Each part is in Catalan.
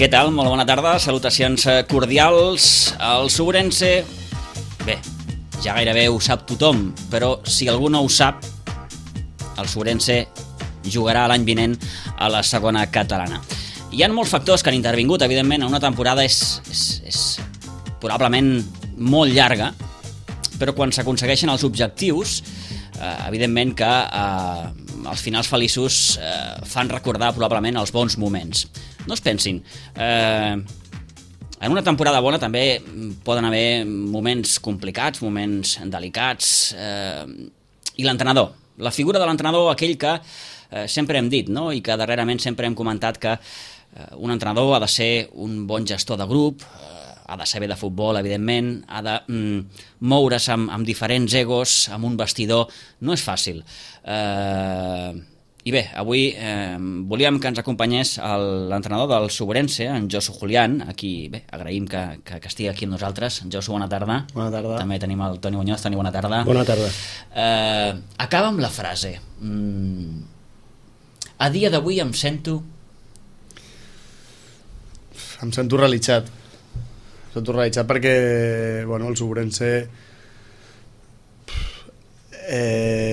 Què tal? Molt bona tarda, salutacions cordials. El Sobrense, bé, ja gairebé ho sap tothom, però si algú no ho sap, el Sobrense jugarà l'any vinent a la segona catalana. Hi ha molts factors que han intervingut, evidentment, en una temporada és probablement molt llarga, però quan s'aconsegueixen els objectius, evidentment que els finals feliços fan recordar probablement els bons moments. No es pensin, en una temporada bona també poden haver moments complicats, moments delicats, i l'entrenador, la figura de l'entrenador, aquell que sempre hem dit, no? I que darrerament sempre hem comentat que un entrenador ha de ser un bon gestor de grup, ha de saber de futbol, evidentment, ha de moure's amb diferents egos, amb un vestidor. No és fàcil. I bé, avui volíem que ens acompanyés l'entrenador del Sobrense, en Josu Julián, a qui agraïm que estigui aquí amb nosaltres. Josu, bona tarda. Bona tarda. També tenim el Toni Muñoz. Toni, bona tarda. Bona tarda. Acaba amb la frase. A dia d'avui em sento realitzat. Em sento realitzat perquè el Sobrense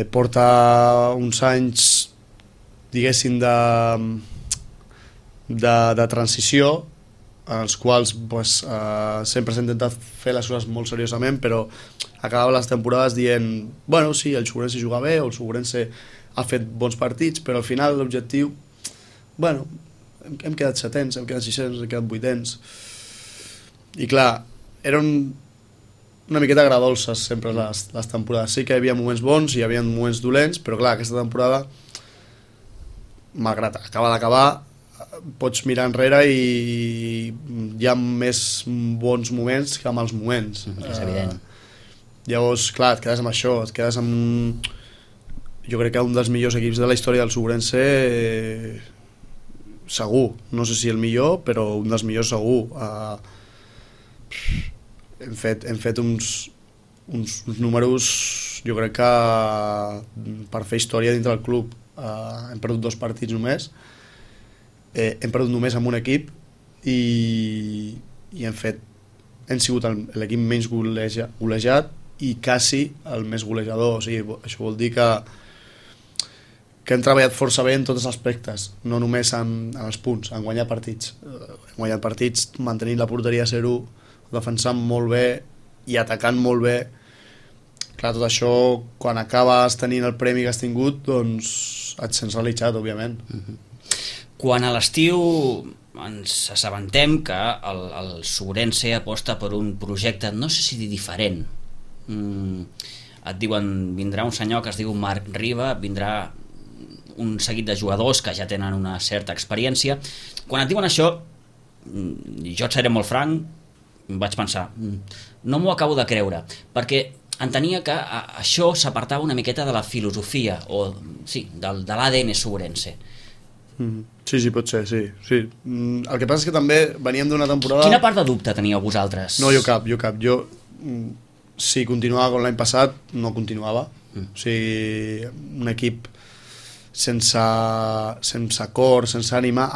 porta uns anys, diguéssim, de transició, en els quals sempre s'ha intentat fer les coses molt seriosament, però acabava les temporades dient sí, el Sobrense juga bé, o el Sobrense ha fet bons partits, però al final l'objectiu, hem quedat setens, hem quedat sisens, hem quedat vuitens, i clar, eren una miqueta agradolces sempre les temporades. Sí que hi havia moments bons i hi havia moments dolents, però clar, aquesta temporada, malgrat acaba d'acabar, pots mirar enrere i hi ha més bons moments que mals moments. És evident. Llavors, clar, et quedes amb això, et quedes amb... Jo crec que un dels millors equips de la història del Sobrense, segur, no sé si el millor, però un dels millors segur. Hem fet uns números, jo crec que per fer història dintre del club. Hem perdut 2 partits només, hem perdut només amb un equip i hem sigut l'equip menys golejat i quasi el més golejador. O sigui, això vol dir que hem treballat força bé en tots els aspectes, no només en els punts, en guanyar partits. Hem guanyat partits mantenint la porteria a 0, defensant molt bé i atacant molt bé. Clar, tot això, quan acabes tenint el premi que has tingut, doncs et sents realitzat, òbviament. Quan a l'estiu ens assabentem que el Sobrense aposta per un projecte, no sé si dir diferent, et diuen, vindrà un senyor que es diu Marc Riba, vindrà un seguit de jugadors que ja tenen una certa experiència. Quan et diuen això, jo et seré molt franc, vaig pensar, no m'ho acabo de creure, perquè entenia que això s'apartava una miqueta de la filosofia, o sí, de l'ADN Sobrense. Sí, pot ser, sí. El que passa és que també veníem d'una temporada... Quina part de dubte teníeu vosaltres? No, jo cap. Jo, si continuava com l'any passat, no continuava. O sigui, un equip sense cor, sense ànima,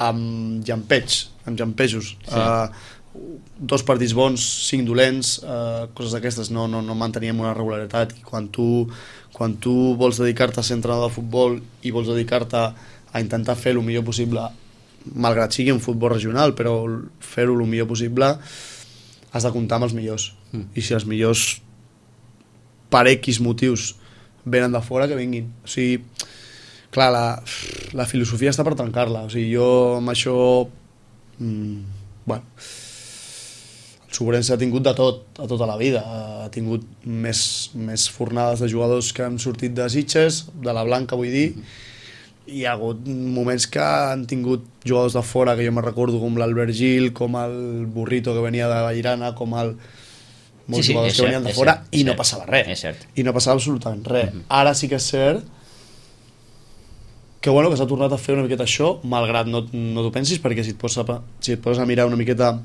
amb llampejos. Sí. 2 partits bons, 5 dolents, coses d'aquestes, no manteníem una regularitat. I quan tu vols dedicar-te a ser entrenador de futbol i vols dedicar-te a intentar fer el millor possible, malgrat sigui un futbol regional, però fer-ho el millor possible, has de comptar amb els millors. I si els millors, per X motius, venen de fora, que vinguin. O sigui, clar, la filosofia està per trencar-la. O sigui, jo amb això... el Sobrense ha tingut de tot, a tota la vida. Ha tingut més fornades de jugadors que han sortit de Sitges, de la Blanca, vull dir. Hi ha hagut moments que han tingut jugadors de fora, que jo me'n recordo, com l'Albert Gil, com el Burrito, que venia de Vallirana, com molts jugadors que venien de fora, i no passava res. I no passava absolutament res. Ara sí que és cert que s'ha tornat a fer una miqueta això, malgrat no t'ho pensis, perquè si et poses a mirar una miqueta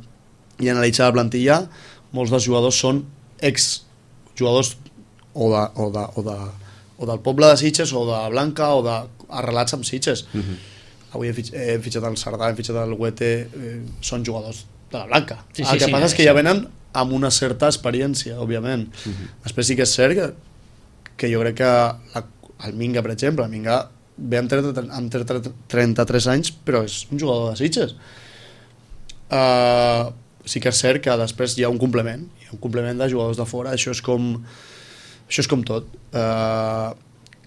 i analitzar la plantilla, molts dels jugadors són ex-jugadors o del poble de Sitges, o de Blanca, o arrelats amb Sitges. avui hem fitxat el Sardà, hem fitxat el Huete, són jugadors de la Blanca. Sí, El que passa és que ja venen amb una certa experiència, òbviament. Després sí que és cert que jo crec que el Minga, per exemple, el Minga ve amb 33 anys, però és un jugador de Sitges. Sí que és cert que després hi ha un complement de jugadors de fora. Això és com tot.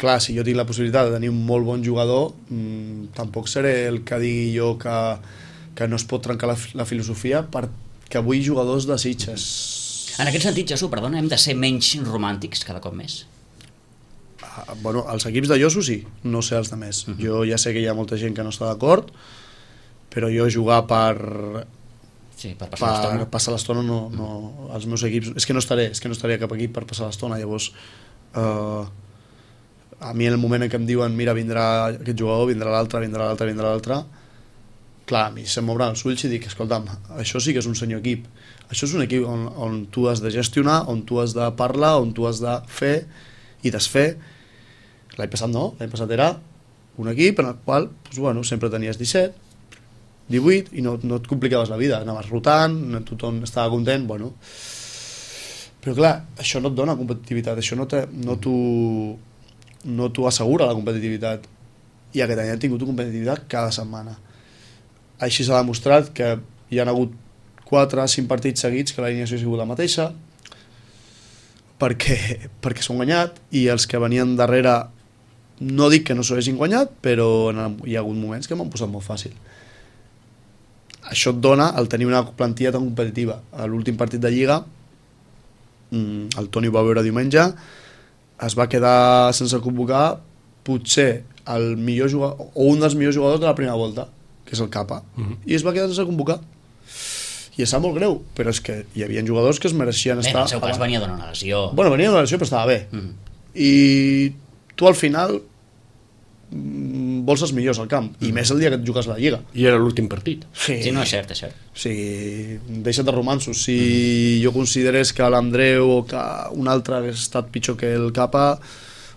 Clar, si jo tinc la possibilitat de tenir un molt bon jugador, tampoc seré el que digui jo que no es pot trencar la filosofia perquè avui jugadors de Sitges... En aquest sentit, Jesús, perdona, hem de ser menys romàntics cada cop més? Bueno, els equips de Josu sí, no sé els de més. Jo ja sé que hi ha molta gent que no està d'acord, però jo jugar per passar l'estona no, els meus equips... És que no estaré cap equip per passar l'estona, llavors... A mi en el moment en què em diuen mira, vindrà aquest jugador, vindrà l'altre, clar, a mi se'm obren els ulls i dic, escolta'm, això sí que és un senyor equip. Això és un equip on tu has de gestionar, on tu has de parlar, on tu has de fer i desfer. L'any passat no, l'any passat era un equip en el qual doncs, bueno, sempre tenies 17, 18 i no et complicaves la vida, anaves rotant, tothom estava content, bueno. Però clar, això no et dona competitivitat, això no t'ho assegura la competitivitat, i aquest any han tingut competitivitat cada setmana. Així s'ha demostrat que hi ha hagut 4 o 5 partits seguits que l'alineació ha sigut la mateixa perquè s'ho han guanyat, i els que venien darrere no dic que no s'ho hagin guanyat, però hi ha hagut moments que m'han posat molt fàcil. Això et dona el tenir una plantilla tan competitiva. A l'últim partit de Lliga el Toni ho va veure diumenge, es va quedar sense convocar potser el millor jugador o un dels millors jugadors de la primera volta, que és el Capa, i es va quedar sense convocar, i és molt greu, però és que hi havia jugadors que es mereixien estar... En el seu cas venia d'una lesió. Bueno, venia d'una lesió però estava bé, i tu al final vols els millors al camp, i més el dia que et jugues la Lliga. I era l'últim partit. Sí, no, és cert, és cert. O sigui, deixa't de romansos. Si jo considerés que l'Andreu o que un altre hagués estat pitjor que el Capa,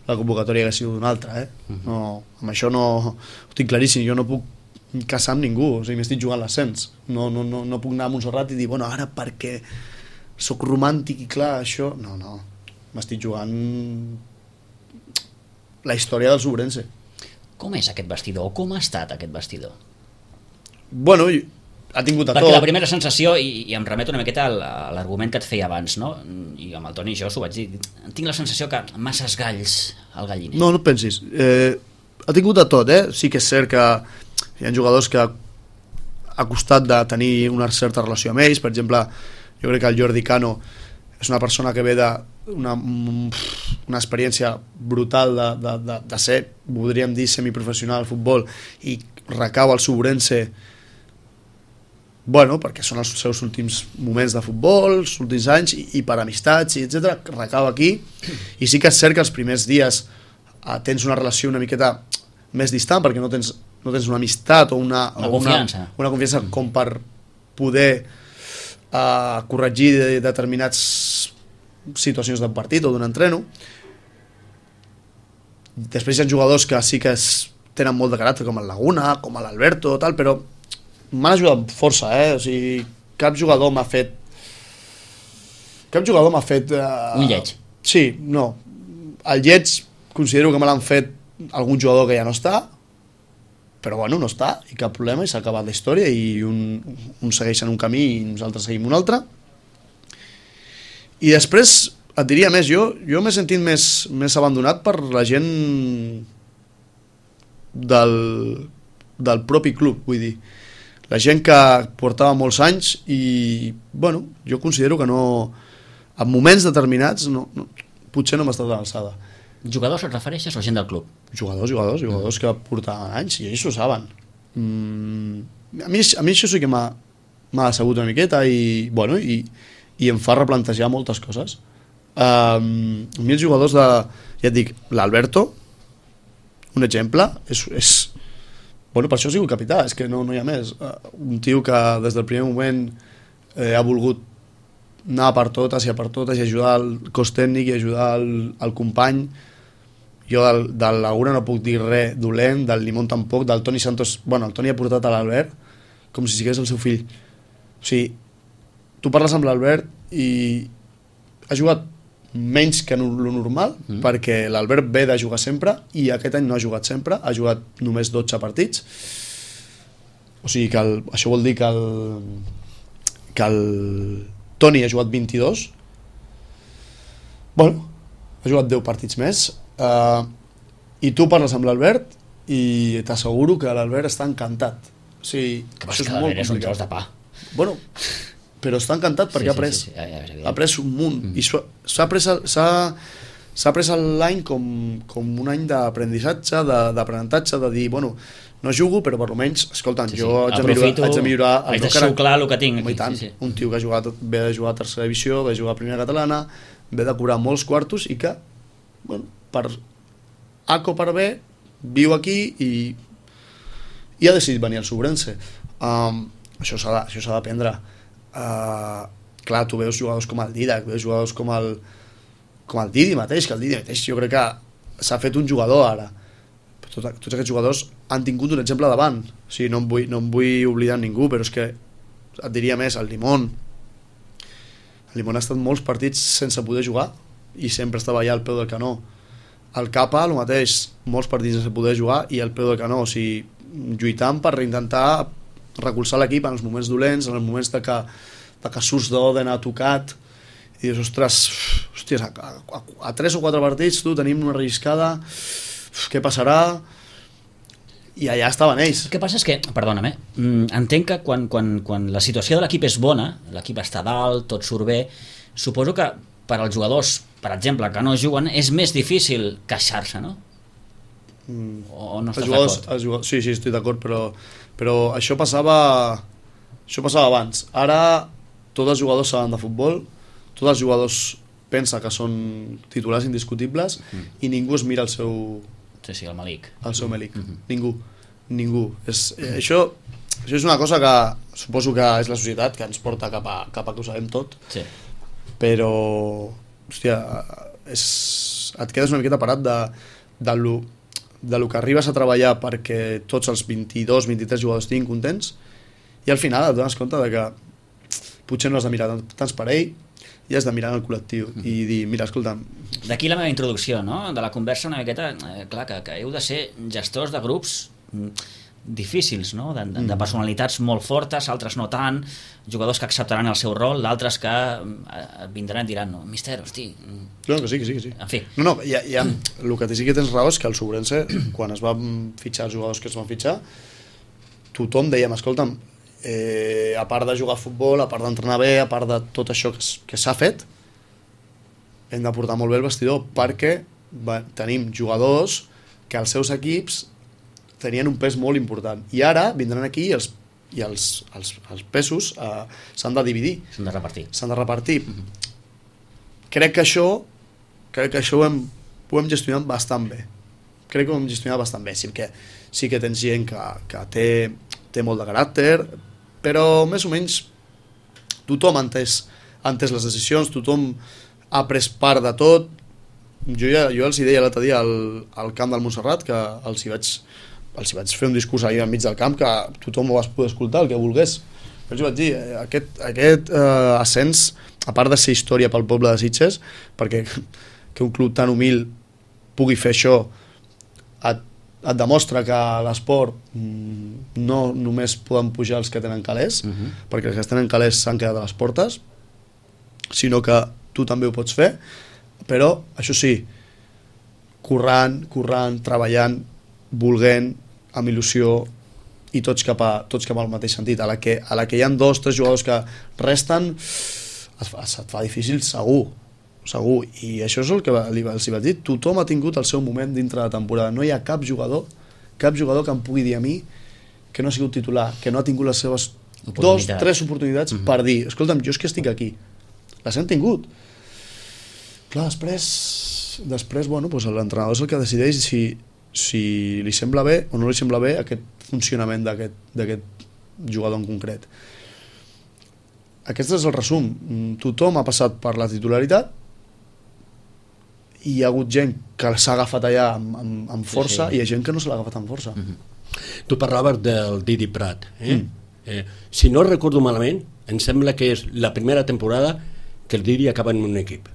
la convocatòria hagués sigut una altra, no, amb això no ho tinc claríssim. Jo no puc casar amb ningú, o sigui, m'estic jugant l'ascens, no puc anar a Montserrat i dir, bueno, ara perquè sóc romàntic i clar, això... No, m'estic jugant la història del Sobrense. Com és aquest vestidor? Com ha estat aquest vestidor? Bueno, ha tingut a tot. Perquè la primera sensació, i em remeto una miqueta a l'argument que et feia abans, no? I amb el Toni i jo s'ho vaig dir, tinc la sensació que masses galls al galliner. No et pensis. Ha tingut a tot, Sí que és cert que hi ha jugadors que ha costat de tenir una certa relació amb ells. Per exemple, jo crec que el Jordi Cano és una persona que ve una experiència brutal de ser, podríem dir, semiprofessional al futbol, i recau al Sobrense, bueno, perquè són els seus últims moments de futbol, els últims anys, i per amistats, etc. Recau aquí, i sí que és cert que els primers dies tens una relació una miqueta més distant, perquè no tens una amistat o una confiança com per poder corregir determinats situacions d'un partit o d'un entreno. Després hi ha jugadors que sí que tenen molt de caràcter, com el Laguna, com l'Alberto, tal, però m'han ajudat força, o sigui, cap jugador m'ha fet un lleig. Sí, no. El lleig considero que me l'han fet algun jugador que ja no està, però bueno, no està, i cap problema, i s'ha acabat la història, i un segueix en un camí i nosaltres seguim un altre. I després et diria més, jo m'he sentit més abandonat per la gent del propi club, vull dir, la gent que portava molts anys, i bueno, jo considero que no, en moments determinats potser no m'ha estat a l'alçada. Jugadors et refereixes o gent del club? Jugadors que portaven anys, i ells ho saben. A mi això sí que m'ha decebut una miqueta, i bueno, i em fa replantejar moltes coses. A mi els jugadors ja et dic, l'Alberto, un exemple, és bueno, per això ha sigut capità, és que no hi ha més. Un tio que des del primer moment ha volgut anar per totes i ajudar el cos tècnic i ajudar el company, jo de l'Agura no puc dir res dolent, del Limón tampoc, del Toni Santos, bueno, el Toni ha portat a l'Albert com si sigués el seu fill. O sigui, tu parles amb l'Albert i ha jugat menys que lo normal, perquè l'Albert ve de jugar sempre i aquest any no ha jugat sempre, ha jugat només 12 partits. O sigui que això vol dir que el Toni ha jugat 22. Bueno, ha jugat 10 partits més. I tu parles amb l'Albert i t'asseguro que l'Albert està encantat. O sigui, que això és molt complicat. És un tros de pa. Bueno, però està encantat perquè ha pres un munt i s'ha pres l'any com un any d'aprenentatge, d'aprenentatge, de dir, bueno, no jugo, però per almenys, escolta'm, jo haig de millorar haig de xuclar el que tinc aquí. Tant, un tio que ve de jugar a tercera divisió, ve de jugar a primera catalana, ve de cobrar molts quartos i que, bueno, per A o per B viu aquí i ha decidit venir al Sobrense. Això s'ha d'aprendre. Clar, tu veus jugadors com el Didac, veus jugadors com el Didi mateix, que el Didi mateix jo crec que s'ha fet un jugador ara. Tots aquests jugadors han tingut un exemple davant. O sigui, no em vull oblidar ningú, però és que et diria més, el Limón ha estat molts partits sense poder jugar i sempre estava allà al peu del canó. El Capa, el mateix, molts partits sense poder jugar i al peu del canó, o sigui, lluitant per intentar recolzar l'equip en els moments dolents, en els moments de que surts d'Oden ha tocat i dius, ostres, a 3 o 4 partits tu tenim una relliscada, què passarà? I allà estaven ells. El que passa és que, perdona'm, entenc que quan la situació de l'equip és bona, l'equip està dalt, tot surt bé, suposo que per als jugadors, per exemple, que no juguen, és més difícil queixar-se, no? O no estàs d'acord? Sí, estic d'acord, però això passava abans. Ara tots els jugadors saben de futbol, tots els jugadors pensen que són titulars indiscutibles i ningú es mira el seu... Sí, el Malik. El seu Malik. Ningú. Això és una cosa que suposo que és la societat que ens porta cap a que ho sabem tot. Sí. Però, hòstia, et quedes una miqueta parat de lo que arribes a treballar perquè tots els 22-23 jugadors estiguin contents i al final et dones compte de que potser no has de mirar tants per ell i has de mirar en el col·lectiu i dir, mira, escolta'm... D'aquí la meva introducció, no? De la conversa una miqueta, clar, que heu de ser gestors de grups difícils, no? De personalitats molt fortes, altres no tant, jugadors que acceptaran el seu rol, d'altres que vindran i diran, no, mister, hosti... No, que sí. En fi. No, el que sí que tens raó és que el Sobrense, quan es van fitxar els jugadors que es van fitxar, tothom dèiem, escolta'm, a part de jugar a futbol, a part d'entrenar bé, a part de tot això que s'ha fet, hem de portar molt bé el vestidor perquè tenim jugadors que els seus equips tenien un pes molt important i ara vindran aquí i els pesos s'han de dividir, s'han de repartir. Crec que això ho hem gestionat bastant bé, sí que tens gent que té molt de caràcter, però més o menys tothom ha entès les decisions, tothom ha pres part de tot. Jo els deia l'altre dia al camp del Montserrat que els hi vaig fer un discurs ahir enmig del camp que tothom ho vas poder escoltar, el que volgués. Els vaig dir, aquest ascens, a part de ser història pel poble de Sitges, perquè que un club tan humil pugui fer això et demostra que a l'esport no només poden pujar els que tenen calés, perquè els que tenen calés s'han quedat a les portes, sinó que tu també ho pots fer, però això sí, currant, treballant, volent, amb il·lusió i tots cap al mateix sentit. A la que hi ha 2 o 3 jugadors que resten et fa difícil segur, i això és el que els vaig dir, tothom ha tingut el seu moment dintre de la temporada, no hi ha cap jugador que em pugui dir a mi que no ha sigut titular, que no ha tingut les seves 2 o 3 oportunitats per dir, escolta'm, jo és que estic aquí, les hem tingut. Clar, després bueno, doncs l'entrenador és el que decideix si li sembla bé o no li sembla bé aquest funcionament d'aquest jugador en concret. Aquest és el resum. Tothom ha passat per la titularitat hi ha hagut gent que s'ha agafat allà amb força, i hi ha gent que no se l'ha agafat amb força. Tu parlaves del Didi Prat. Si no recordo malament, em sembla que és la primera temporada que el Didi acaba en un equip.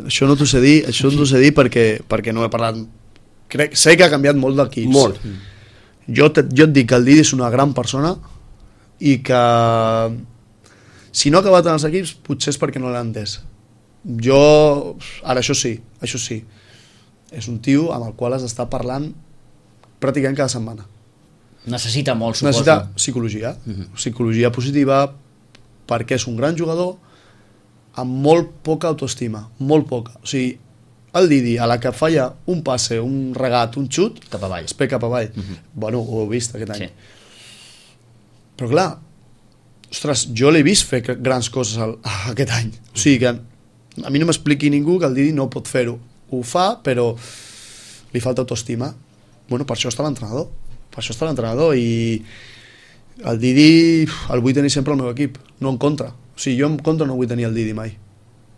Això no t'ho sé dir, perquè no he parlat. Sé que ha canviat molt d'equips. Molt. Jo et dic que el Didi és una gran persona i que si no ha acabat en els equips potser és perquè no l'ha entès. Ara això sí, és un tio amb el qual has d'estar parlant pràcticament cada setmana. Necessita molt, suposo. Necessita psicologia positiva, perquè és un gran jugador amb molt poca autoestima, molt poca. O sigui, el Didi, a la que falla un passe, un regat, un xut, cap avall. es pega cap avall. Bueno, ho he vist aquest any. Però clar, ostres, jo l'he vist fer grans coses aquest any. O sigui que a mi no m'expliqui ningú que el Didi no pot fer-ho. Ho fa, però li falta autoestima. Bueno, per això està l'entrenador. I el Didi el vull tenir sempre al meu equip, no en contra. O sigui, jo en contra no vull tenir el Didi mai,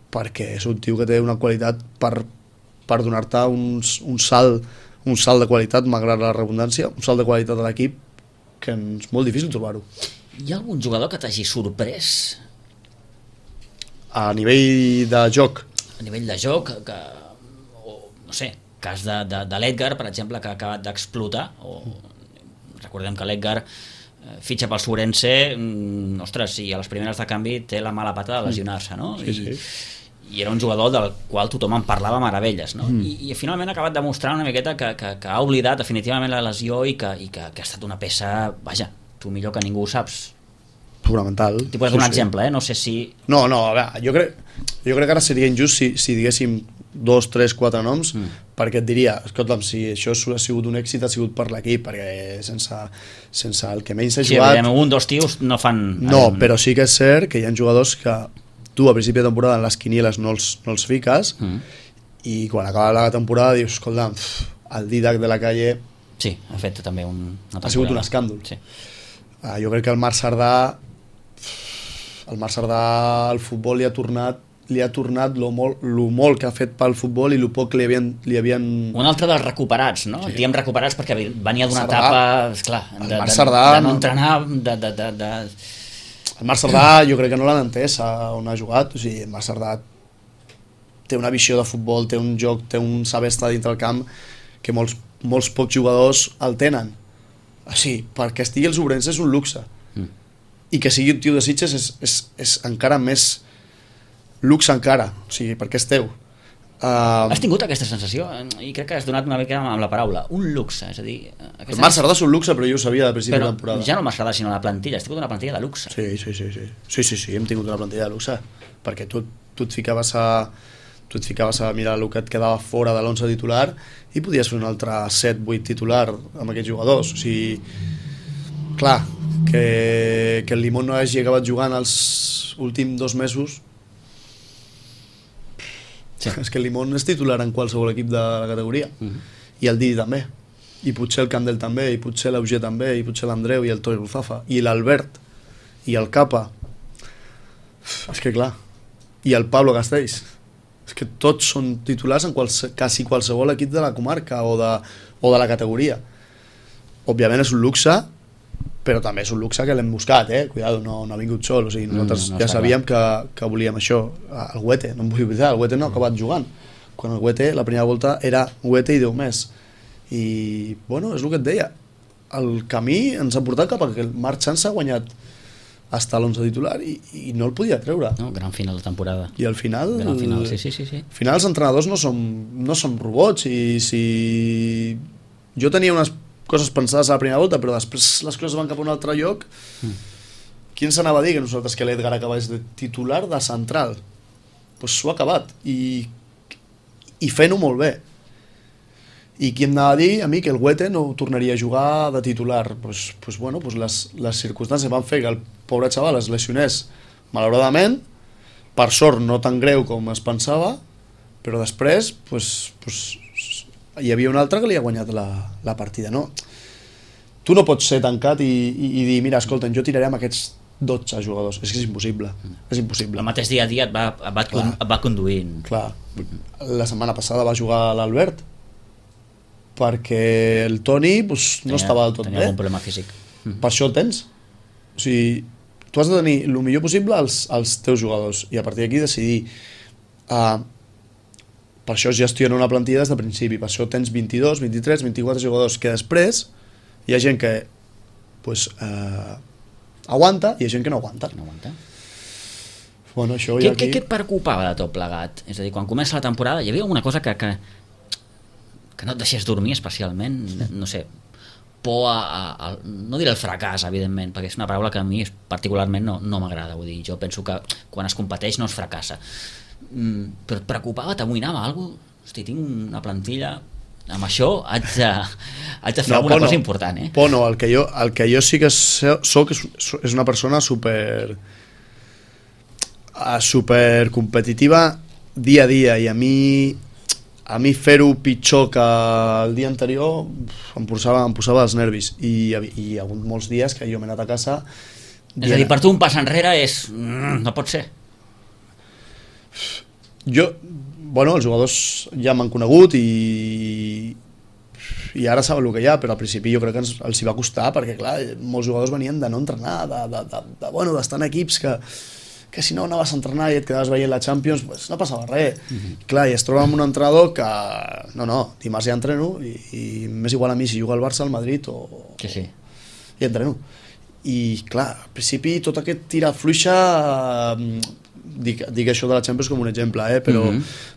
perquè és un tio que té una qualitat per donar-te un salt de qualitat, malgrat la redundància, un salt de qualitat a l'equip que és molt difícil trobar-ho. Hi ha algun jugador que t'hagi sorprès? A nivell de joc? A nivell de joc, no sé, cas de l'Edgar, per exemple, que ha acabat d'explotar, recordem que l'Edgar fitxa pel Surense, ostres, i a les primeres de canvi té la mala pata de lesionar-se, no? I era un jugador del qual tothom en parlava meravelles, no? I finalment ha acabat demostrant una miqueta que ha oblidat definitivament la lesió i que ha estat una peça, vaja, tu millor que ningú ho saps. Fonamental. T'hi pots donar un exemple, no sé si... No, a veure, jo crec que ara seria injust si diguéssim 2, 3, 4 noms, perquè et diria, escolta'm, si això ha sigut un èxit, ha sigut per l'equip, perquè sense el que menys s'ha jugat... Sí, un, dos tios no fan... No, però sí que és cert que hi ha jugadors que tu a principi de temporada en les quinieles no els fiques, i quan acaba la temporada dius, escolta'm, el Didac de la Calle... Sí, ha fet també una temporada. Ha sigut un escàndol. Sí. Jo crec que el Marc Cerdà al futbol li ha tornat lo molt que ha fet pel futbol i lo poc li havien... Un altre dels recuperats, no? Sí. Diem recuperats perquè venia d'una Cerdà, etapa, esclar, de no entrenar, El Marc Cerdà jo crec que no l'han entès on ha jugat. O sigui, el Marc Cerdà té una visió de futbol, té un joc, té un saber estar dintre el camp que molts pocs jugadors el tenen. O sigui, perquè estigui els Ourense és un luxe. I que sigui un tio de Sitges és encara més luxe encara, o sigui, perquè és teu. Has tingut aquesta sensació? I crec que has donat una mica amb la paraula. Un luxe, és a dir... El Marc Cerdà és un luxe, però jo ho sabia de principi de temporada. Però ja no el Marc Cerdà, sinó la plantilla. Has tingut una plantilla de luxe. Sí, hem tingut una plantilla de luxe, perquè tu et ficaves a mirar el que et quedava fora de l'11 titular i podies fer un altre 7-8 titular amb aquests jugadors. O sigui, clar, que el Limón no hagi acabat jugant els últims 2 mesos, és que el Limón és titular en qualsevol equip de la categoria, i el Didi també, i potser el Candel també, i potser l'Auger també, i potser l'Andreu i el Toni Ruzafa i l'Albert i el Capa, és que clar, i el Pablo Castells, és que tots són titulars en quasi qualsevol equip de la comarca o de la categoria. Òbviament és un luxe, però també és un luxe que l'hem buscat, cuidado, no ha vingut sol, o sigui, nosaltres ja sabíem que volíem això. El Huete, no em vull oblidar, el Huete no ha acabat jugant, quan el Huete, la primera volta era Huete i 10 més, i bueno, és el que et deia, el camí ens ha portat cap a que el Marc Sans ha guanyat hasta l'11 titular i no el podia treure. No, gran final de temporada. I al final... Gran final, sí. Al final els entrenadors no som robots, i si... Jo tenia unes coses pensades a la primera volta, però després les coses van cap a un altre lloc. Qui ens anava a dir que nosaltres que l'Edgar acabés de titular de central? Doncs s'ho ha acabat, i fent-ho molt bé. I qui em anava a dir a mi que el Huete no tornaria a jugar de titular? Pues les circumstàncies van fer que el pobre xaval es lesionés malauradament, per sort no tan greu com es pensava, però després hi havia un altre que li ha guanyat la partida, no? Tu no pots ser tancat i dir, mira, escolta, jo tiraré amb aquests 12 jugadors, és que és impossible, és impossible. El mateix dia a dia et va conduint. Clar, la setmana passada va jugar l'Albert perquè el Toni pues, no estava del tot bé. Tenia algun problema físic. Per això el tens. O sigui, tu has de tenir el millor possible als teus jugadors i a partir d'aquí decidir. Per això es gestiona una plantilla des de principi, per això tens 22, 23, 24 jugadors que després hi ha gent que pues, aguanta i hi ha gent que no aguanta. Bueno, això Què et preocupava de tot plegat? És a dir, quan comença la temporada hi havia alguna cosa que no et deixés dormir especialment, no sé, por no diré el fracàs, evidentment, perquè és una paraula que a mi particularment no m'agrada, vull dir, jo penso que quan es competeix no es fracassa, però et preocupava, t'amoïnava alguna cosa? Hosti, tinc una plantilla, amb això haig de fer alguna cosa important, eh? Por no, el que jo sí que soc és una persona super competitiva dia a dia, i a mi fer-ho pitjor que el dia anterior em posava els nervis, i hi ha hagut molts dies que jo m'he anat a casa. És a dir, per tu un pas enrere és... no pot ser. Els jugadors ja m'han conegut i ara saben el que hi ha, però al principi jo crec que els hi va costar, perquè clar, molts jugadors venien de no entrenar, d'estar en equips que si no anaves a entrenar i et quedaves veient la Champions, pues no passava res. Clar, i es troba amb un entrenador que dimarts ja entreno i m'és igual a mi si juga al Barça, al Madrid o... Sí. I entreno. I clar, al principi tot aquest tira fluixa, dic això de la Champions com un exemple, però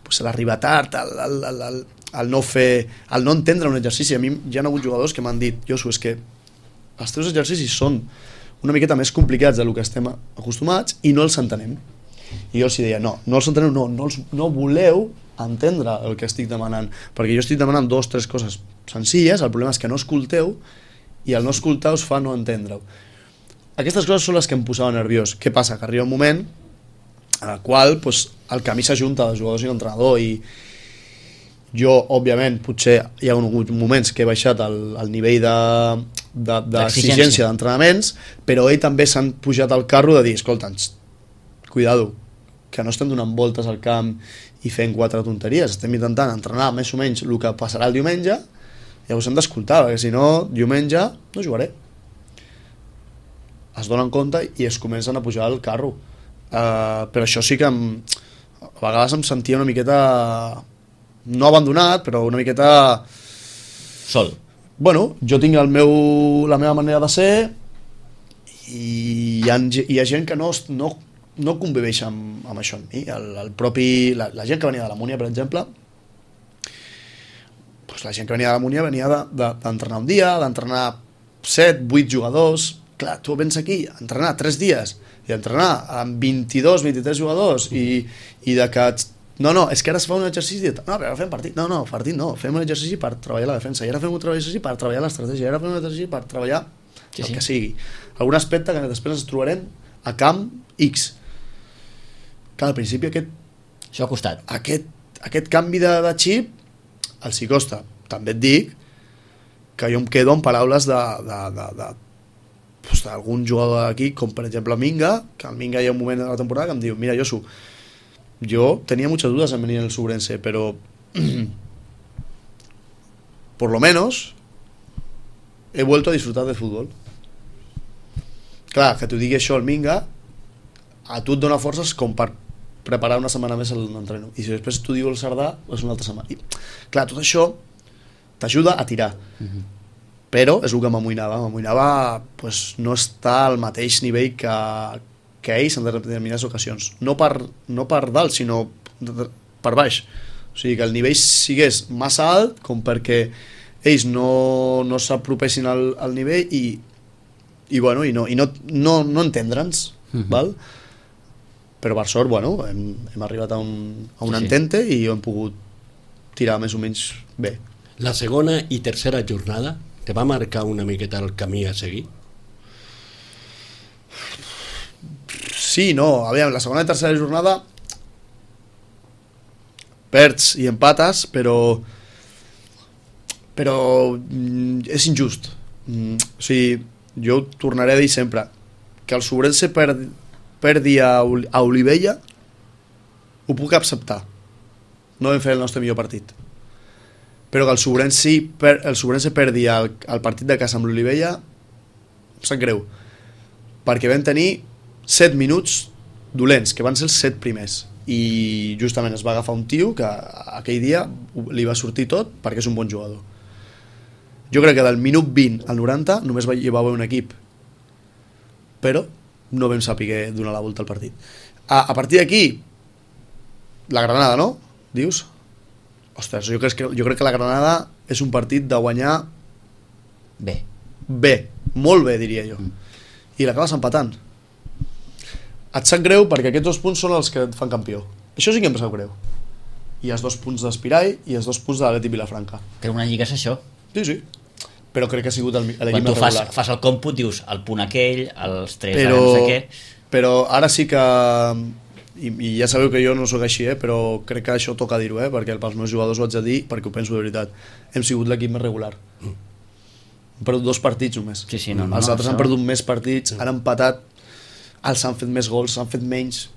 pues, l'arribar tard, el no entendre un exercici. A mi hi ha hagut jugadors que m'han dit: Josu, és que els teus exercicis són una miqueta més complicats del que estem acostumats i no els entenem. I jo els deia, no els enteneu, no voleu entendre el que estic demanant, perquè jo estic demanant 2 o 3 coses senzilles, el problema és que no escolteu, i el no escoltar us fa no entendre-ho. Aquestes coses són les que em posaven nerviós. Què passa? Que arriba un moment en el qual pues, el camí s'ajunta dels jugadors i l'entrenador, i jo, òbviament, potser hi ha hagut moments que he baixat el nivell d'exigència d'entrenaments, però ell també s'han pujat al carro de dir, escolta'ns, cuidado, que no estem donant voltes al camp i fent 4 tonteries, estem intentant entrenar més o menys el que passarà el diumenge, llavors hem d'escoltar, perquè si no, diumenge no jugaré. Es donen compte i es comencen a pujar al carro. Però això sí que a vegades em sentia una miqueta, no abandonat, però una miqueta sol. Bueno, jo tinc la meva manera de ser i hi ha gent que no conviveix amb això amb mi. La gent que venia de la Múnia, per exemple, doncs la gent que venia de la Múnia venia d'entrenar un dia, d'entrenar 7, 8 jugadors. Clar, tu vens aquí a entrenar 3 dies i a entrenar amb 22, 23 jugadors i de que... No, és que ara es fa un exercici no, però ara fem partit. No, partit no, fem un exercici per treballar la defensa, i ara fem un exercici per treballar l'estratègia, i ara fem un exercici per treballar el que sigui. Algun aspecte que després ens trobarem a camp X. Clar, al principi això ha costat. Aquest canvi de xip els hi costa. També et dic que jo em quedo amb paraules d'algun jugador d'aquí, com per exemple Minga, que el Minga hi ha un moment de la temporada que em diu: mira, Josu, yo tenía muchas dudas en venir en el Subrense, pero por lo menos he vuelto a disfrutar del fútbol. Clar, que t'ho digui això el Minga, a tu et dona forces com per preparar una setmana més l'entreno, i si després t'ho diu el Cerdà és una altra setmana. I, clar, tot això t'ajuda a tirar, però és el que m'amoïnava pues, no estar al mateix nivell que ells en determinades ocasions, no per dalt, sinó per baix. O sigui, que el nivell sigués massa alt com perquè ells no s'apropessin al nivell i no entendre'ns, val? Però per sort, hem arribat a un entente i ho hem pogut tirar més o menys bé. La segona i tercera jornada te va marcar una miqueta el camí a seguir? Sí, no, aviam, la segona i tercera jornada perds i empates, però és injust. O sigui, jo ho tornaré a dir sempre, que el Sobrense perdi a Olivella ho puc acceptar, no vam fer el nostre millor partit, però que el Sobrense perdi el partit de casa amb l'Olivella em sap greu, perquè vam tenir 7 minuts dolents, que van ser els 7 primers, i justament es va agafar un tio que aquell dia li va sortir tot perquè és un bon jugador. Jo crec que del minut 20 al 90 només hi va haver un equip, però no vam saber donar la volta al partit. A partir d'aquí, la Granada, no? Dius? Ostres, jo crec que la Granada és un partit de guanyar bé, molt bé, diria jo. I l'acabes empatant. Et sap greu perquè aquests 2 punts són els que et fan campió. Això sí que em sap greu. I els 2 punts d'Espirai i els 2 punts de l'Atlètic Vilafranca. Però una lliga és això. Sí. Però crec que ha sigut l'equip quan tu regular. fas el còmput, dius el punt aquell, els 3 no sé què. Però ara sí que, i ja sabeu que jo no sóc així, però crec que això toca dir-ho, perquè pels meus jugadors ho haig de dir, perquè ho penso de veritat, hem sigut l'equip més regular. Hem perdut 2 partits només. Sí, els altres han perdut més partits, han empatat, els han fet més gols, han fet menys,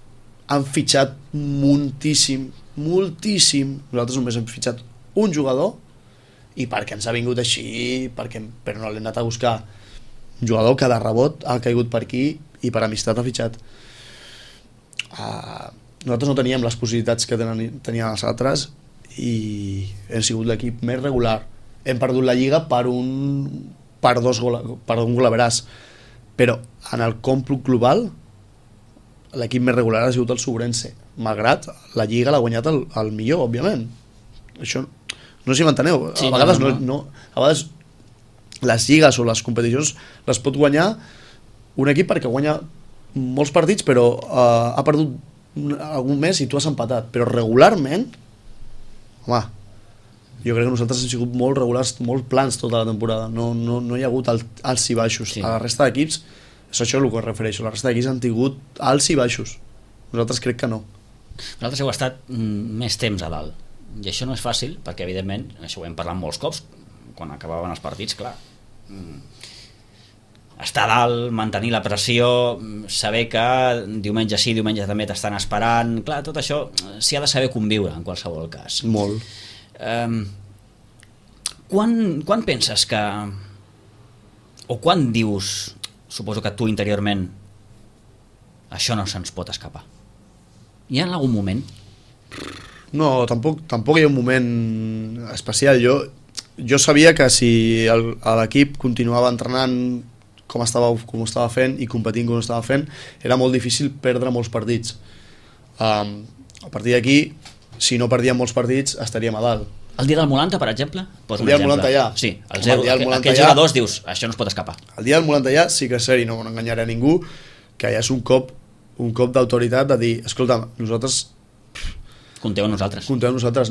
han fitxat moltíssim. Nosaltres només hem fitxat un jugador, i perquè ens ha vingut així, però no l'hem anat a buscar. Un jugador que de rebot ha caigut per aquí i per amistat ha fitxat. Nosaltres no teníem les possibilitats que tenien els altres i hem sigut l'equip més regular. Hem perdut la Lliga per un gol a veràs, però en el còmput global l'equip més regular ha sigut el Sobrense, malgrat la Lliga l'ha guanyat el millor, òbviament. Això no sé si m'enteneu. A vegades a vegades les lligues o les competicions les pot guanyar un equip perquè guanya molts partits però ha perdut algun mes i tu has empatat, però regularment, home, jo crec que nosaltres hem sigut molt regulars, molt plans tota la temporada, no hi ha hagut alts i baixos. A la resta d'equips és això el que es refereixo, la resta d'equips han tingut alts i baixos, nosaltres crec que no. Nosaltres heu estat més temps a dalt i això no és fàcil perquè evidentment, això ho hem parlat molts cops quan acabaven els partits, clar, estar a dalt, mantenir la pressió, saber que diumenge sí, diumenge també t'estan esperant, clar, tot això s'hi ha de saber conviure en qualsevol cas. Molt. Quan penses que, o quan dius, suposo que tu interiorment, això no se'ns pot escapar? Hi ha algun moment? No, tampoc hi ha un moment especial. Jo sabia que si l'equip continuava entrenant com estava fent i competint com estava fent, era molt difícil perdre molts partits. A partir d'aquí, si no perdíem molts partits, estaríem a dalt. El dia del Molanta, per exemple? El dia del Molanta ja. Sí, aquells jugadors dius, això no es pot escapar. El dia del Molanta ja sí que és cert, i no enganyaré a ningú, que ja és un cop d'autoritat de dir, escolta, nosaltres compteu amb nosaltres.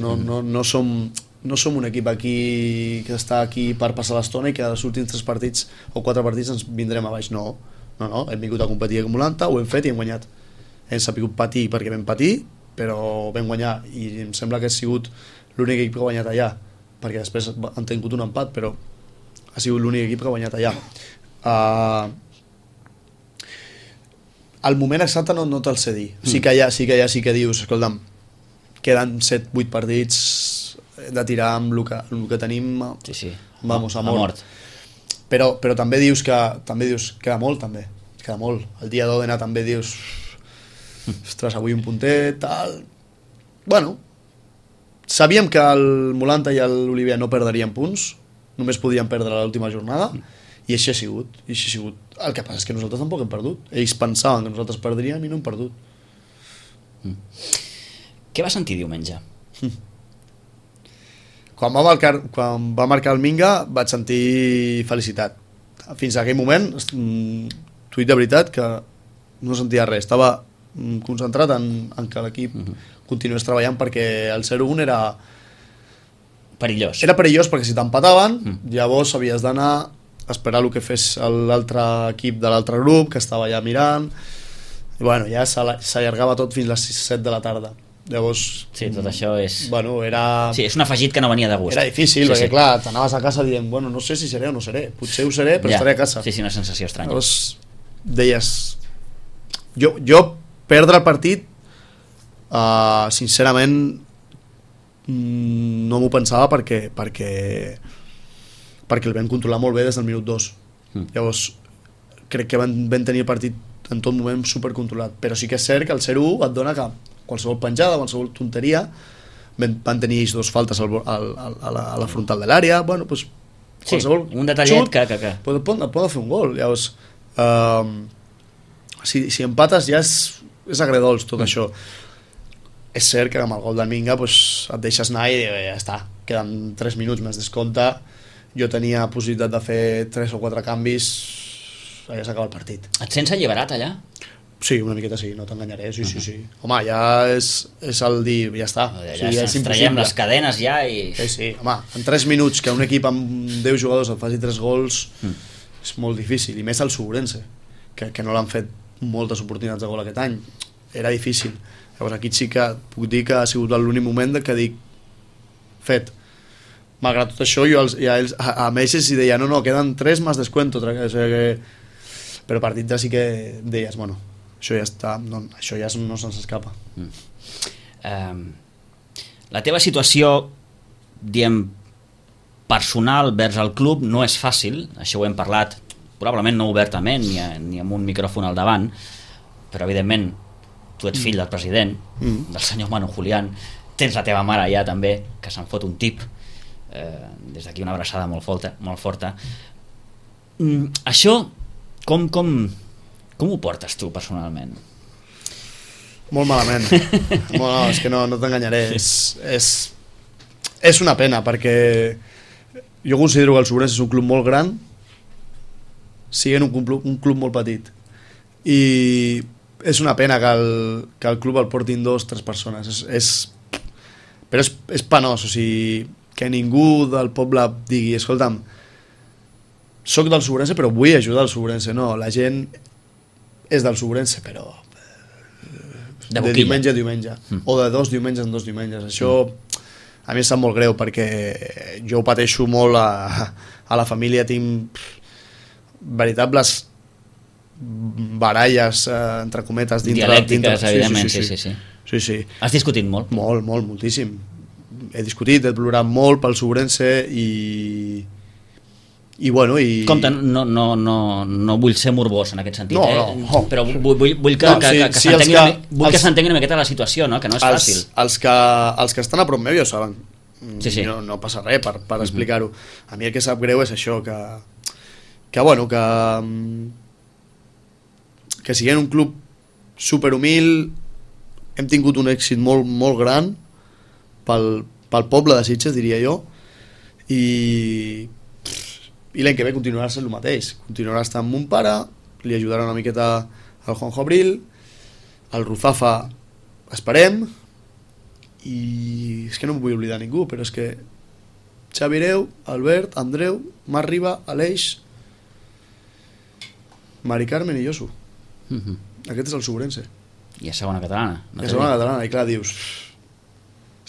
No som un equip aquí que està aquí per passar l'estona i que als últims 3 partits o 4 partits ens vindrem a baix. No, hem vingut a competir amb Molanta, ho hem fet i hem guanyat. Hem sabut patir perquè vam patir, però vam guanyar i em sembla que ha sigut l'únic equip que ha guanyat allà, perquè després han tingut un empat, però ha sigut l'únic equip que ha guanyat allà. El moment exacte no te'l sé dir. Sí que dius, escolta'm, queden 7-8 partits de tirar amb el que tenim, vamos, a mort. Però també dius que queda molt, també. Queda molt. El dia d'Òdena també dius, ostres, avui un puntet, tal. Bueno, sabíem que el Molanta i l'Olivià no perderien punts, només podien perdre l'última jornada, i així ha sigut. El que passa és que nosaltres tampoc hem perdut. Ells pensaven que nosaltres perdríem i no hem perdut. Què va sentir diumenge? Quan va marcar el Minga vaig sentir felicitat. Fins a aquell moment, t'ho dic de veritat, que no sentia res. Estava concentrat en que l'equip continués treballant perquè el 0-1 era perillós. Era perillós perquè si t'empataven, llavors havies d'anar a esperar el que fes l'altre equip de l'altre grup, que estava allà mirant, i bueno, ja s'allargava tot fins a les 7 de la tarda. Llavors, sí, tot això és... Bueno, era... Sí, és un afegit que no venia de gust. Era difícil, perquè clar, t'anaves a casa dient, bueno, no sé si seré o no seré, potser ho seré, però estaré a casa. Sí, una sensació estranya. Llavors, deies jo perdre el partit sincerament no m'ho pensava perquè el vam controlar molt bé des del minut 2. Llavors crec que van tenir el partit en tot moment supercontrolat, però sí que és cert que el 0-1 et dona que qualsevol penjada, qualsevol tonteria, van tenir ells 2 faltes a la frontal de l'àrea, bueno, doncs qualsevol un detallet xut, que... Poden fer un gol. Llavors si empates ja és agredols tot això. És cert que amb el gol del Minga pues, et deixes anar i ja està, queden 3 minuts més descompte, jo tenia possibilitat de fer 3 o 4 canvis, ja s'acaba el partit. Et sents alliberat allà? Sí, una miqueta sí, no t'enganyaré, sí. Home, ja és el dir, ja està. Ja ens traiem les cadenes ja i... Sí, home, en 3 minuts que un equip amb 10 jugadors et faci 3 gols és molt difícil, i més el Sobrense, que no l'han fet moltes oportunitats de gol aquest any, era difícil. Llavors aquí sí que puc dir que ha sigut l'únic moment que dic fet. Malgrat tot això jo a ells els deia no, queden 3 más descuento, però a partir de sí que deies bueno, això ja està, no, això ja no se'ns escapa. La teva situació, diem, personal vers el club no és fàcil, això ho hem parlat probablement no obertament ni amb un micròfon al davant, però evidentment tu ets fill del president, del senyor Manu Julián, tens la teva mare allà també, que se'n fot un tip, des d'aquí una abraçada molt forta. Això com ho portes tu personalment? Molt malament. No, és que no t'enganyaré, és una pena perquè jo considero que el Sobrense és un club molt gran siguent un club molt petit, i és una pena que el club el portin 2 o 3 persones, però és penós, o sigui, que ningú del poble digui escolta'm, soc del Sobrense però vull ajudar el Sobrense. No, la gent és del Sobrense però de diumenge a diumenge, o de 2 diumenges en 2 diumenges. Això a mi em sap molt greu perquè jo ho pateixo molt a la família, tinc veritables baralles entre cometes dialèctiques, evidentment. Sí. Has discutit molt? Moltíssim. He discutit, he plorat molt pel Sobrense i bueno, compte, no vull ser morbós en aquest sentit, però vull que s'entengui una miqueta la situació, no? Que no és fàcil. Els que estan a prop meu ja ho saben, no passa res per explicar-ho. A mi el que sap greu és això, que siguent un club superhumil hem tingut un èxit molt, molt gran pel poble de Sitges, diria jo, i l'any que ve continuarà sent el mateix, continuarà estant amb mon pare, li ajudarà una miqueta al Juanjo Abril, el Ruzafa esperem, i és que no em vull oblidar ningú, però és que Xavi Hereu, Albert, Andreu, Marc Riba, Aleix, Mari Carmen i Josu. Aquest és el Sobrense. I a segona catalana. I a segona catalana, i clar, dius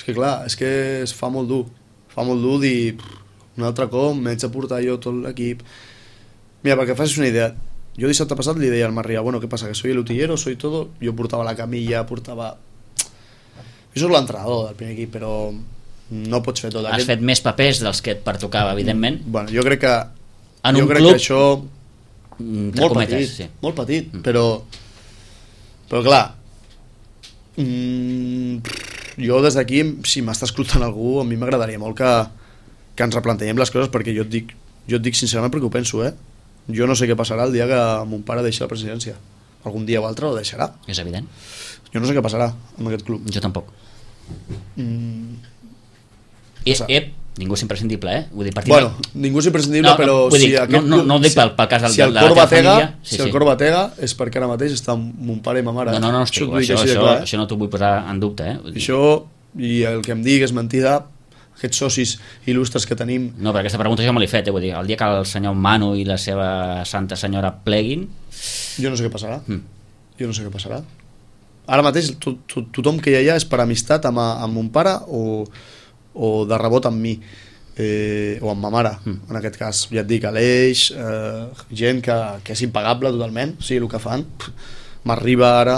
és que es fa molt dur dir un altre cop, m'haig de portar jo tot l'equip. Mira, perquè facis una idea, jo dissabte passat li deia al Marc Riba, bueno, què passa, que soy el utillero, soy todo, jo portava la camilla, jo soc l'entrenador del primer equip, però no pots fer tot. Has fet més papers dels que et pertocava, evidentment. Bueno, jo crec que en un club que això molt petit, però clar, jo des d'aquí, si m'està escoltant algú, a mi m'agradaria molt que ens replantegem les coses, perquè jo et dic sincerament perquè ho penso, jo no sé què passarà el dia que mon pare deixi la presidència, algun dia o altre ho deixarà, és evident, jo no sé què passarà amb aquest club. Jo tampoc. Ningú és imprescindible, vull dir, bueno, ningú és imprescindible, però si aquest club, no ho dic pel cas de la teva família, si el cor batega és perquè ara mateix està mon pare i ma mare. No, això no t'ho vull posar en dubte, això, i el que em digues mentida, aquests socis il·lustres que tenim. No, però aquesta pregunta jo me l'he fet, vull dir, el dia que el senyor Manu i la seva santa senyora pleguin, jo no sé què passarà. Ara mateix tothom que hi ha allà és per amistat amb mon pare o de rebot amb mi, o amb ma mare, en aquest cas, ja et dic, Aleix, gent que és impagable totalment, o sigui, el que fan, m'arriba ara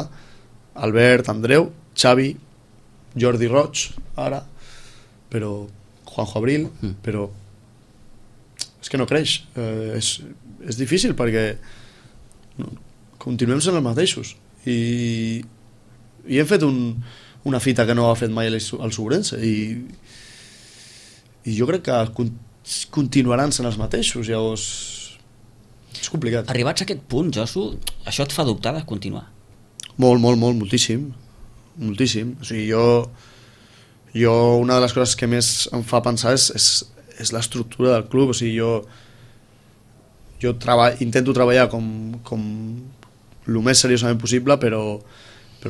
Albert, Andreu, Xavi, Jordi Roig, ara, però Juanjo Abril, però és que no creix, és difícil perquè continuem sent els mateixos i hem fet una fita que no ha fet mai el Sobrense i jo crec que continuaran sent els mateixos, llavors és complicat. Arribats a aquest punt, Josu, això et fa dubtar de continuar? Moltíssim. O sigui, jo una de les coses que més em fa pensar és l'estructura del club, o sigui, jo intento treballar com el més seriosament possible, però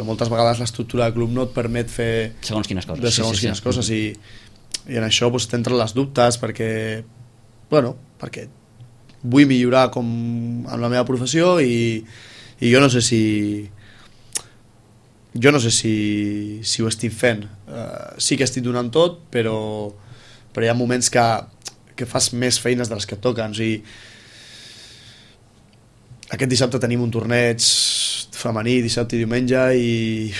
moltes vegades l'estructura del club no et permet fer segons quines coses, coses i en això doncs, t'entren les dubtes perquè vull millorar amb la meva professió i jo no sé si ho estic fent. Sí que estic donant tot, però hi ha moments que fas més feines de les que et toquen. O sigui, aquest dissabte tenim un torneig femení, dissabte i diumenge, i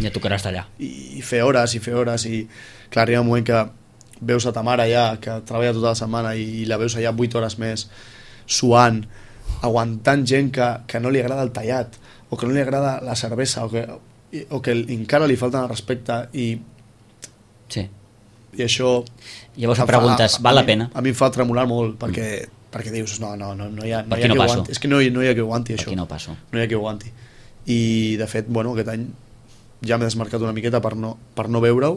ja tocaràs d'allà. I fer hores i clar, arriba un moment que veus a ta mare ja, que treballa tota la setmana i la veus allà 8 hores més, suant, aguantant gent que no li agrada el tallat, o que no li agrada la cervesa, o que encara li falta el respecte i això llavors em preguntes, val la pena? A mi em fa tremolar molt perquè dius, no hi ha qui ho aguanti, és que no hi ha qui ho aguanti això, no hi ha qui ho aguanti i de fet, aquest any ja m'he desmarcat una miqueta per no veure-ho,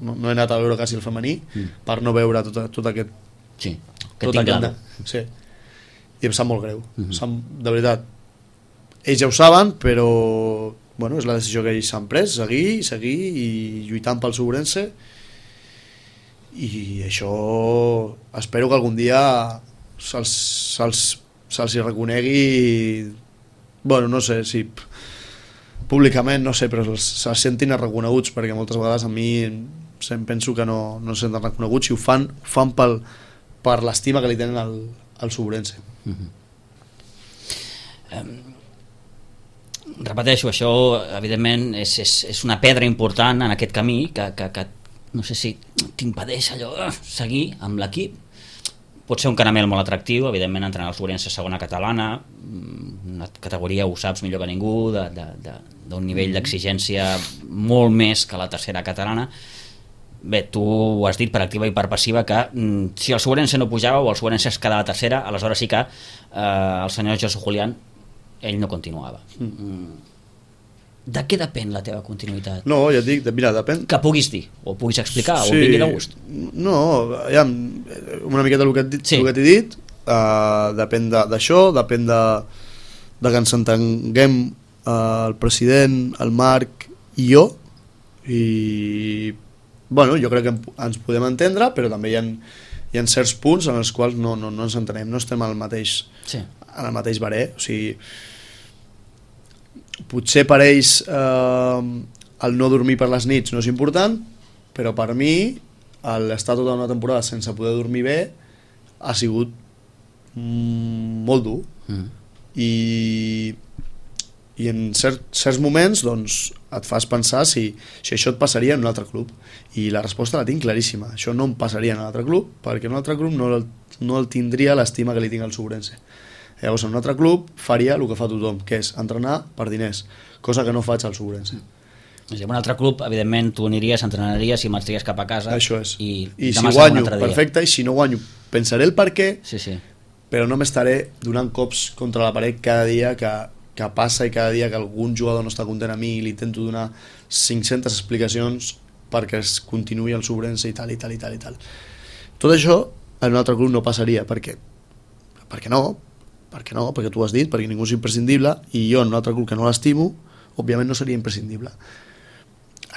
no he anat a veure quasi el femení per no veure tot aquest sí, i em sap molt greu, de veritat ells ja ho saben, però és la decisió que ells s'han pres, seguir i lluitant pel Sobrense, i això espero que algun dia se'ls hi reconegui, no sé si públicament, no sé, però se'ls sentin reconeguts, perquè moltes vegades a mi penso que no se senten reconeguts i ho fan per l'estima que li tenen al Sobrense. Repeteixo, això evidentment és una pedra important en aquest camí que no sé si t'impedeix allò seguir amb l'equip. Pot ser un caramel molt atractiu, evidentment entrenar el Sobrense segona catalana, una categoria, ho saps millor que ningú, d'un nivell d'exigència molt més que la tercera catalana. Bé, tu ho has dit per activa i per passiva que si el Sobrense no pujava o el Sobrense es quedava tercera, aleshores sí que el senyor Josu Julián ell no continuava. De què depèn la teva continuïtat? No, ja et dic, mira, depèn... Que puguis dir, o puguis explicar, o vingui de gust. No, ja, una miqueta el que t'he dit, depèn d'això, depèn de que ens entenguem el president, el Marc i jo, i jo crec que ens podem entendre, però també hi ha certs punts en els quals no ens entenem, no estem en el mateix barer, o sigui, potser per ells el no dormir per les nits no és important, però per mi l'estar tota una temporada sense poder dormir bé ha sigut molt dur i en certs moments doncs, et fas pensar si això et passaria en un altre club, i la resposta la tinc claríssima, això no em passaria en un altre club, perquè en un altre club no el tindria l'estima que li tinc al Sobrense. Llavors en un altre club faria el que fa tothom, que és entrenar per diners, cosa que no faig al Sobrense. En un altre club, evidentment, tu aniries, entrenaries i marxaries cap a casa. Això és. I si guanyo, perfecte, i si no guanyo, pensaré el per què, però no m'estaré donant cops contra la paret cada dia que passa i cada dia que algun jugador no està content a mi i li intento donar 500 explicacions perquè es continuï el Sobrense i tal. Tot això en un altre club no passaria. Per què? Perquè tu ho has dit, perquè ningú és imprescindible, i jo en un altre club que no l'estimo, òbviament no seria imprescindible.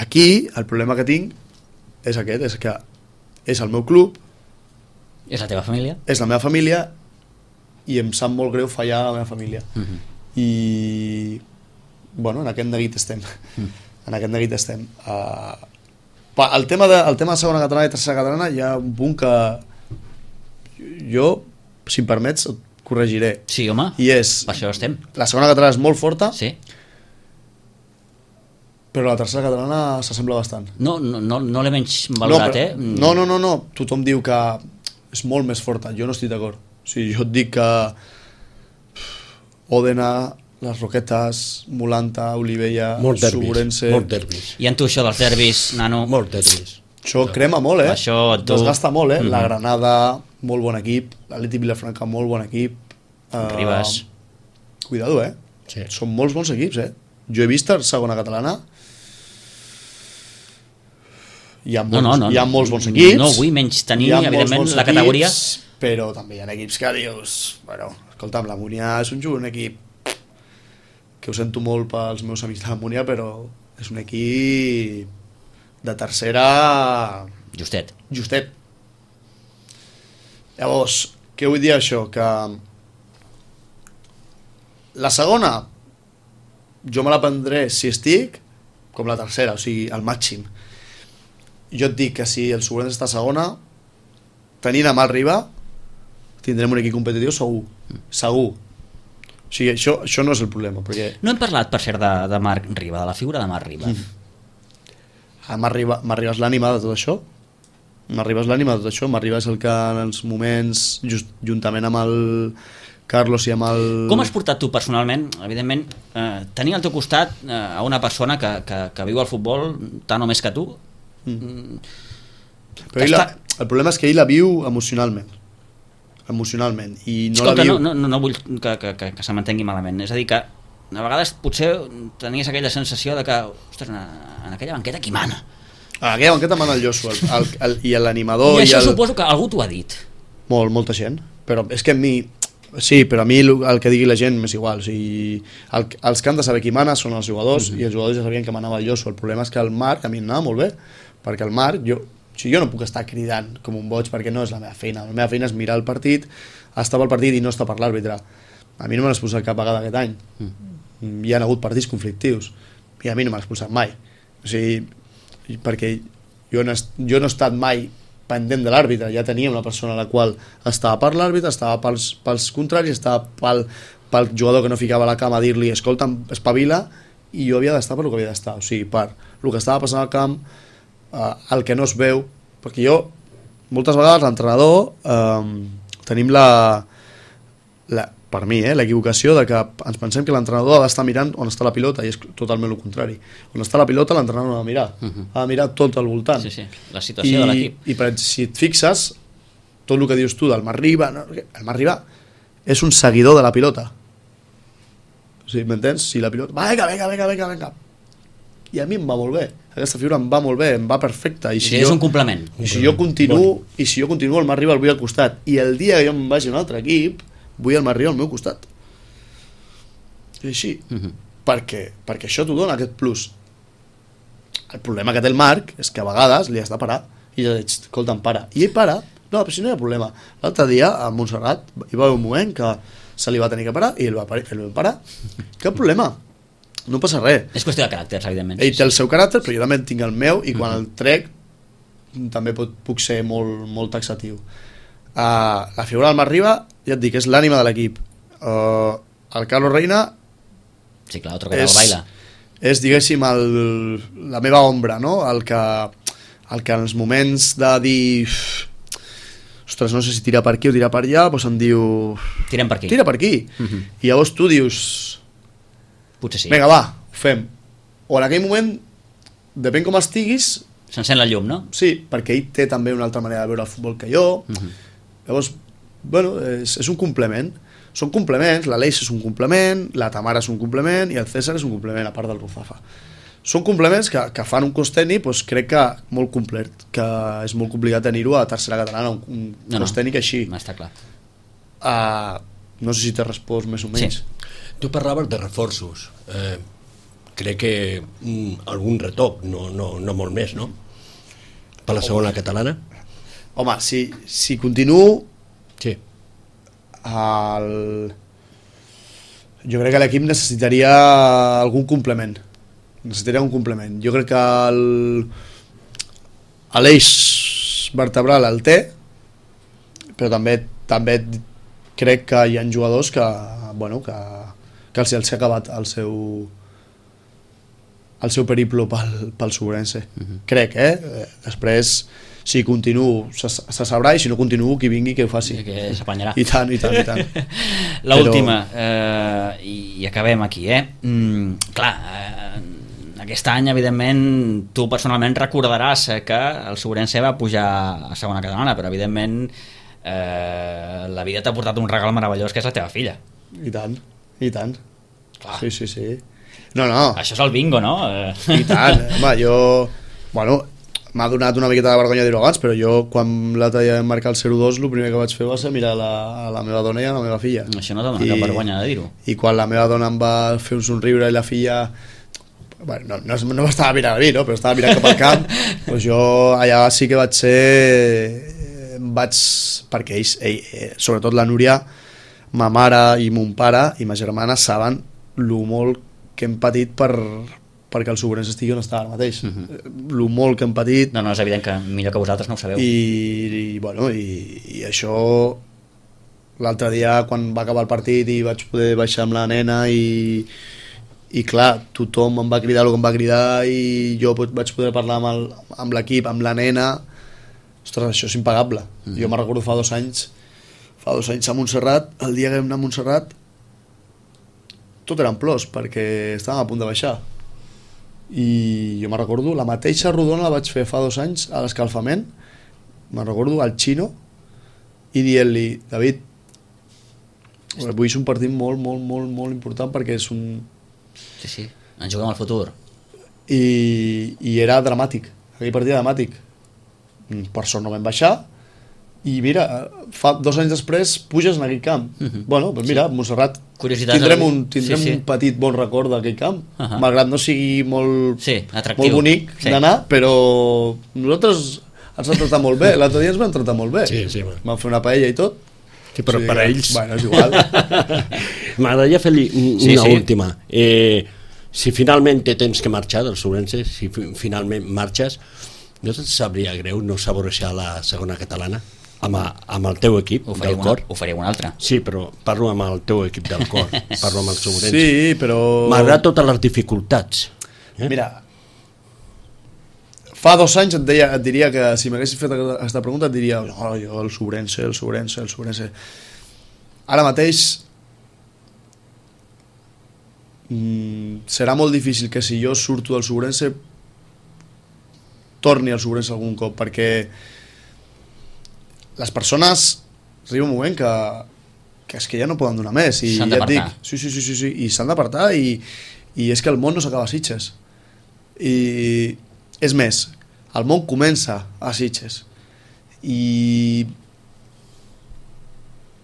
Aquí el problema que tinc és aquest, és que és el meu club, és la teva família, és la meva família, i em sap molt greu fallar a la meva família. I en aquest neguit estem. En aquest neguit estem. El tema de segona catalana i tercera catalana hi ha un punt que jo, si em permets, et corregiré. Sí, home, I és, per això estem. la segona catalana és molt forta, Sí. però la tercera catalana s'assembla bastant. No l'he menys valorat, No, tothom diu que és molt més forta, jo no estic d'acord. O sigui, jo et dic que Òdena, les Roquetes, Molanta, Olivella, Suburense... Molt derbis. I en tu això dels derbis, nano... Molt derbis. Això crema molt, Això tu... desgasta molt, La Granada, molt bon equip, l'Atlètic Vilafranca, molt bon equip. Ribas. Cuidado, Sí. Són molts bons equips, Jo he vist a segona catalana. Hi ha molts bons equips. No vull menys tenir, hi ha molts evidentment, bons la categoria... equips, però també hi ha equips que dius... Bueno, escolta'm, la Múnia és un equip que ho sento molt pels meus amics de la Múnia, però és un equip de tercera... Justet. Llavors, què vull dir això? Que la segona jo me la prendré si estic com la tercera, o sigui, al màxim. Jo et dic que si el Suburense està a segona, tenint a Marc Riba, tindrem un equip competitiu segur. O sigui, això no és el problema, perquè... No hem parlat, per cert, de Marc Riba, de la figura de Marc Riba. Marc Riba és l'ànima de tot això. Marc Riba és el que en els moments, juntament amb el Carlos i amb el... Com has portat tu personalment, evidentment, tenir al teu costat a una persona que viu el futbol tant o més que tu? Però el problema és que ell la viu emocionalment i no escolta, la viu... no vull que se m'entengui malament, és a dir que a vegades potser tenies aquella sensació de que, ostres, en aquella banqueta qui mana? En aquella banqueta mana el Josu i l'animador i això suposo que algú t'ho ha dit. Molta gent, però és que a mi sí, però a mi el que digui la gent m'és igual, o sigui, els que han de saber qui mana són els jugadors i els jugadors ja sabien que manava el Josu. El problema és que el Marc a mi em anava molt bé, perquè el Marc jo no puc estar cridant com un boig perquè no és la meva feina. La meva feina és mirar el partit, estar pel partit i no estar per l'àrbitre. A mi no me l'ha expulsat cap vegada aquest any. Hi ha hagut partits conflictius i a mi no m'ha expulsat mai. O sigui, perquè jo no he estat mai pendent de l'àrbitre, ja teníem una persona a la qual estava per l'àrbitre, estava pels contraris, estava pel jugador que no ficava la cama a dir-li escolta'm, espavila, i jo havia d'estar per el que havia d'estar, o sigui, per el que estava passant al camp, el que no es veu, perquè jo moltes vegades l'entrenador tenim per mi, l'equivocació de que ens pensem que l'entrenador ha d'estar mirant on està la pilota, i és totalment el contrari. On està la pilota l'entrenador no ha de mirar, ha de mirar tot al voltant. Sí, la situació de l'equip. I si et fixes, tot el que dius tu del Marc Riba, el Marc Riba és un seguidor de la pilota. O sigui, m'entens? Si la pilota... Vinga. I a mi em va molt bé. Aquesta figura em va molt bé, em va perfecta. És un complement. I si jo continuo, el Marc Riba el vull al costat. I el dia que jo em vagi a un altre equip, vull el Marc Riba al meu costat. És així. Perquè això t'ho dona, aquest plus. El problema que té el Marc és que a vegades li has de parar. I ja dic, escolta'm, para. I ell para. No, però si no hi ha problema. L'altre dia, a Montserrat, hi va haver un moment que se li va tenir que parar i ell va parar. Cap problema. No passa res. És qüestió de caràcters, evidentment. Ell té el seu caràcter, però jo també tinc el meu, i quan el trec també puc ser molt, molt taxatiu. La figura del Marc Riba, ja et dic, és l'ànima de l'equip. El Carlos Reina sí, clar, otro que del baila. És, diguéssim, la meva ombra, no? El que en els moments de dir ostres, no sé si tirar per aquí o tirar per allà, doncs em diu tirem per aquí. Tira per aquí. I llavors tu dius potser sí. Vinga, va, ho fem. O en aquell moment, depèn com estiguis, s'encén la llum, no? Sí, perquè ell té també una altra manera de veure el futbol que jo. Llavors, bueno, és un complement. Són complements, l'Aleix és un complement, la Tamara és un complement i el César és un complement, a part del Ruzafa. Són complements que fan un cos tècnic, doncs crec que molt complet, que és molt complicat tenir-ho a tercera catalana, un cos tècnic així. No, està clar. No sé si t'he respost més o menys. Sí. Tu parlaves de reforços. Crec que algun retoc, no molt més, no? Per la segona catalana? Home, si continuo... Sí. Jo crec que l'equip necessitaria algun complement. Jo crec que l'eix vertebral el té, però també crec que hi ha jugadors que els ha acabat el seu periplo pel Sobrense. Crec, després si continuo se sabrà, i si no continuo qui vingui que ho faci, que s'apanyarà. I tant. L'última, i acabem aquí, clar, aquest any evidentment tu personalment recordaràs que el Sobrense va pujar a segona catalana, però evidentment la vida t'ha portat un regal meravellós que és la teva filla. I tant. Clar. Sí. No. Això és el bingo, no? I tant, home, m'ha donat una miqueta de vergonya dir-ho abans, però jo quan l'altre dia vam marcar el 0-2 el primer que vaig fer va ser mirar a la meva dona i a la meva filla. Això no dona cap vergonya de dir-ho. I quan la meva dona em va fer un somriure i la filla no m'estava mirant a mi, no? Però estava mirant cap al camp, doncs jo allà sí que perquè ells, sobretot la Núria, ma mare i mon pare i ma germana saben lo molt que hem patit perquè el Sobrense estigui on està ara mateix. Lo molt que hem patit. No, és evident que millor que vosaltres no ho sabeu. I això l'altre dia quan va acabar el partit i vaig poder baixar amb la nena i clar, tothom em va cridar el que em va cridar i jo vaig poder parlar amb l'equip, amb la nena. Ostres, això és impagable. Jo me'n recordo fa 2 anys a Montserrat, el dia que vam anar a Montserrat tot eren plors perquè estàvem a punt de baixar, i jo me'n recordo la mateixa rodona la vaig fer fa 2 anys a l'escalfament, me'n recordo al Xino i dient-li, David, avui és un partit molt important perquè és un... Sí, ens juguem al futur. I era dramàtic, aquell partit era dramàtic. Per sort no vam baixar i mira, fa 2 anys després puges en aquell camp. Bueno, doncs mira, Montserrat tindrem un petit bon record d'aquell camp, malgrat no sigui molt bonic d'anar, però nosaltres ens han tratat molt bé. L'altre dia ens vam tratar molt bé, vam fer una paella i tot. Sí, però per a ells... Bueno, és igual. M'agradaria fer-li una última. Si finalment te tens que marxar del Sobrense, si finalment marxes, no et sabria greu no saborejar la segona catalana amb el teu equip del cor? Ho faria un altre. Sí, però parlo amb el teu equip del cor, parlo amb el Sobrense. Sí, però... Malgrat totes les dificultats. Mira, fa 2 anys et diria que si m'haguessis fet aquesta pregunta et diria no, jo el Sobrense. Ara mateix serà molt difícil que si jo surto del Sobrense torni al Sobrense algun cop, perquè les persones arriba un moment que és que ja no poden donar més i s'han d'apartar. Sí, i s'han d'apartar i és que el món no s'acaba a Sitges, i és més, el món comença a Sitges i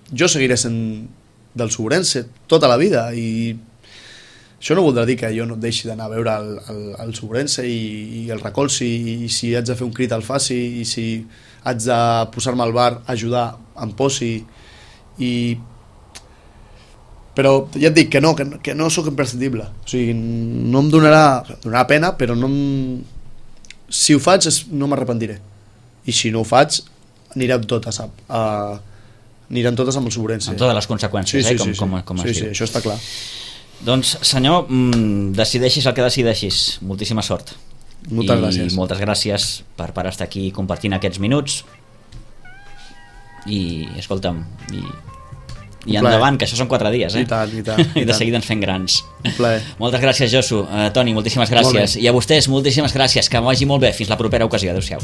jo seguiré sent del Sobrense tota la vida, i això no voldrà dir que jo no deixi d'anar a veure el Sobrense i el recolzi, i si haig de fer un crit el faci, i si haig de posar-me al bar a ajudar em posi, però ja et dic que no sóc imprescindible, o sigui, no em donarà pena, però si ho faig no m'arrepentiré, i si no ho faig anirem totes amb el Sobrense, amb totes les conseqüències, com es diu. Sí, això està clar. Doncs senyor, decideixis el que decideixis, moltíssima sort. Moltes gràcies. I moltes gràcies per estar aquí compartint aquests minuts, i escolta'm, i endavant, que això són 4 dies, I tant. I de seguida ens fem grans. Un plaer. Moltes gràcies, Josu. Toni, moltíssimes gràcies. I a vostès, moltíssimes gràcies, que vagi molt bé, fins la propera ocasió. Adéu-siau.